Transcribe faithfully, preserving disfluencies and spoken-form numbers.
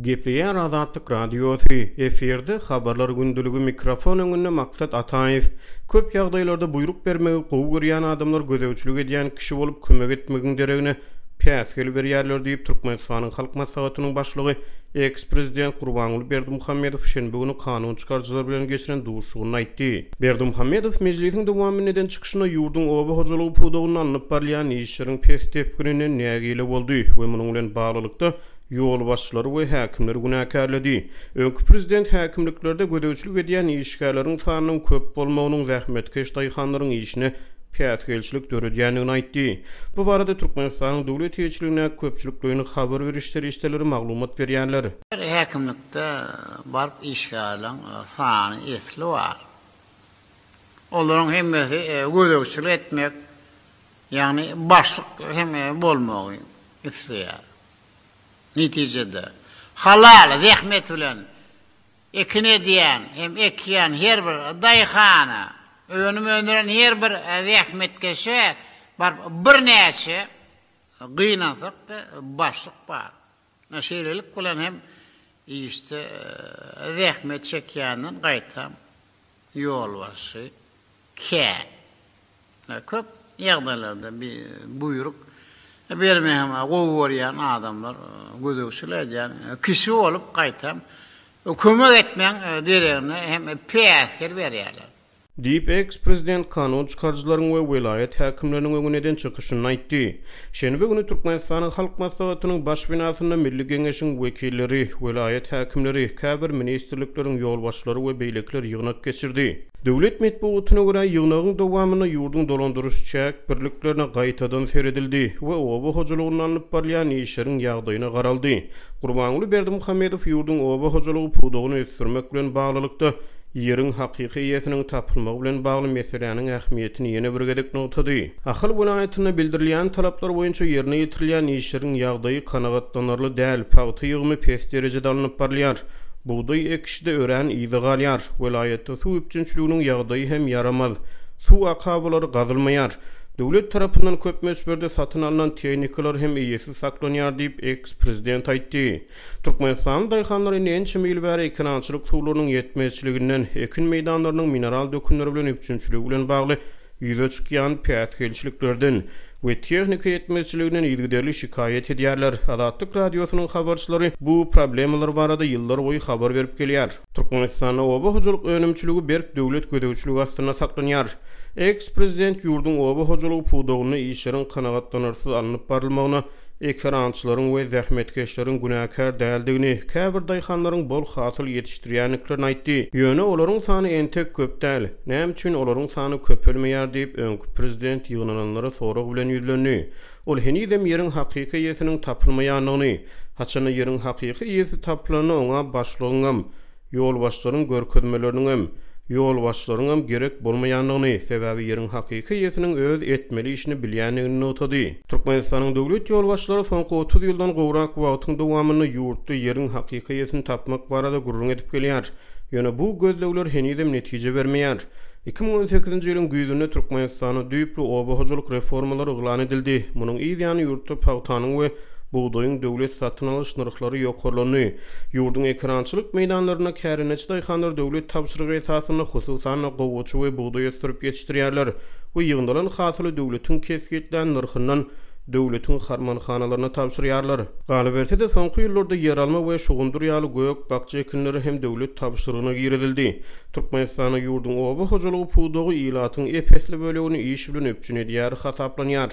Gepleýär Azatlyk Radiosy, efirde Habarlar gündeligi, mikrofon öňünde Maksat Ataýew. Köp ýagdaýlarda buýruk bermegi gowy görýän adamlar gözegçilik edýän kişi bolup kömek etmegiň deregine päsgel berýärler diýip, Türkmenistanyň Halk Maslahatynyň başlygy, eks-prezident Gurbanguly Berdimuhamedow şenbe güni kanun çykaryjylar bilen geçiren duşuşygynda aýtdy. Berdimuhamedow mejlisiň dowamynda eden çykyşynda ýurduň oba hojalygy pudagynda alnyp barylýan işleriň pes depgininden nägile boldy we munuň bilen baglylykda ýolbaşçylary we häkimleri günäkärledi. Öňki prezident häkimliklerde gözegçilik edýän işgärleriň sanynyň köp bolmagynyň zähmetkeş daýhanlaryň işine päsgelçilik döredýändigini aýtdy. Bu barada Türkmenistanyň döwlet eýeçiligindäki köpçülikleýin habar beriş serişdeleri maglumat berýärler. Häkimlikde baryp işgärleriň sany esli bar. Olaryň hemmesi gözegçilik etmek, ýagny başlyk hem bolmagy isleýär. Netijede, halal zähmet bilen ekin edýän hem ekýän her bir daýhana, önüm öndüren her bir zähmetkeşe baryp birnäçe gynansak-da başlyk bar. Şeýlelik bilen hem işde zähmet çekýänden gaýtam ýolbaşçy kän. Köp ýagdaýlarda bir buýruk bermegi hem gowy görýän adamlar gözegçilik edýän kişi bolup gaýtam kömek etmegiň deregine hem päsgel berýärler. Diýip, eks-prezident kanun çykaryjylaryň we welaýat häkimleriniň öňünde eden çykyşynda aýtdy. Şenbe güni Türkmenistanyň Halk Maslahatynyň baş binasynda Milli Geňeşiň wekilleri, welaýat häkimleri, käbir ministrlikleriň ýolbaşçylary we beýlekiler ýygnak geçirdi. Döwlet metbugatyna görä, ýygnagyň dowamynda ýurduň dolandyryş-çäk birliklerine gaýtadan seredildi we oba hojalygynda alnyp barylýan işleriň ýagdaýyna garaldy. Gurbanguly Berdimuhamedow ýurduň oba hojalygy pudagyny ösdürmek bilen baglylykda, ýeriň hakyky eýesiniň tapylmagy bilen bagly meseläniň ähmiýetini ýene bir gezek nygtady. Ahal welaýatynda bildirilýän talaplar boýunça ýerine ýetirilýän işleriň ýagdaýy kanagatlanarly däl, pagta ýygymy pes derejede alnyp barylýar, bugdaý ekişi-de örän yza galýar, welaýatda suw üpjünçiliginiň ýagdaýy hem ýaramaz, suw akabalary gazylmaýar, döwlet tarapyndan köp möçberde satyn alnan tehnikalar hem eýesiz saklanýar diýip, eks-prezident aýtdy. Türkmenistanly daýhanlar indi ençeme ýyl bäri ekerançylyk suwlarynyň ýetmezçiliginden, ekin meýdanlarynyň mineral dökünleri bilen üpjünçiligi bilen bagly ýüze çykýan päsgelçiliklerden we tehnika ýetmezçiliginden yzygiderli şikaýat edýärler. Azatlyk Radiosynyň habarçylary bu problemalar barada ýyllarboýy habar berip gelýär. Türkmenistanda oba hojalyk önümçiligi berk döwlet gözegçiligi astynda saklanýar. Eks-prezident ýurduň oba hojalygy pudagynda işleriň kanagatlanarsyz alnyp barylmagyna ekerançylaryň we zähmetkeşleriň günäkär däldigini, käbir daýhanlaryň bol hasyl ýetişdirýändiklerini aýtdy. Ýöne olaryň sany entek köp däl. Näme üçin olaryň sany köpelmeýär diýip, öňki prezident ýygnananlara sorag bilen ýüzlendi. Ol henizem ýeriň hakyky eýesiniň tapylmaýandygyny, haçanda ýeriň hakyky eýesi tapylanda oňa başlygyňam, ýolbaşçylaryň görkezmeleriniňem, ýolbaşçylaryňam gerek bolmaýandygyny, sebäbi ýeriň hakyky eýesiniň öz etmeli işini bilýändigini nygtady. Türkmenistanyň döwlet ýolbaşçylary soňky otuz ýyldan gowrak wagtyň dowamynda ýurtda ýeriň hakyky eýesini tapmak barada gürrüň edip gelýär. Ýöne bu gözlegler henizem netije bermeýär. Iki müň on sekizinji ýylyň güýzünde Türkmenistanda düýpli oba hojalyk reformalary yglan edildi. Munuň yz ýany ýurtda pagtanyň we bugdaýyň döwlet satyn alyş nyrhlary ýokarlandy. Ýurduň ekerançylyk meýdanlarynda kärendeçi daýhanlar döwlet tabşyrygy esasynda hususan-da gowaça we bugdaý ösdürip ýetişdirýärler we ýygnalan hasyly döwletiň kesgitlän nyrhyndan döwletiň harmanhanalaryna tabşyrýarlar. Galyberse-de, soňky ýyllarda ýeralma we şugundyr ýaly gök-bakja ekinleri hem döwlet tabşyrygyna girizildi. Türkmenistanda ýurduň oba hojalygy pudagy ilatyň ep-esli bölegini iş bilen üpjün edýär hasaplanýar.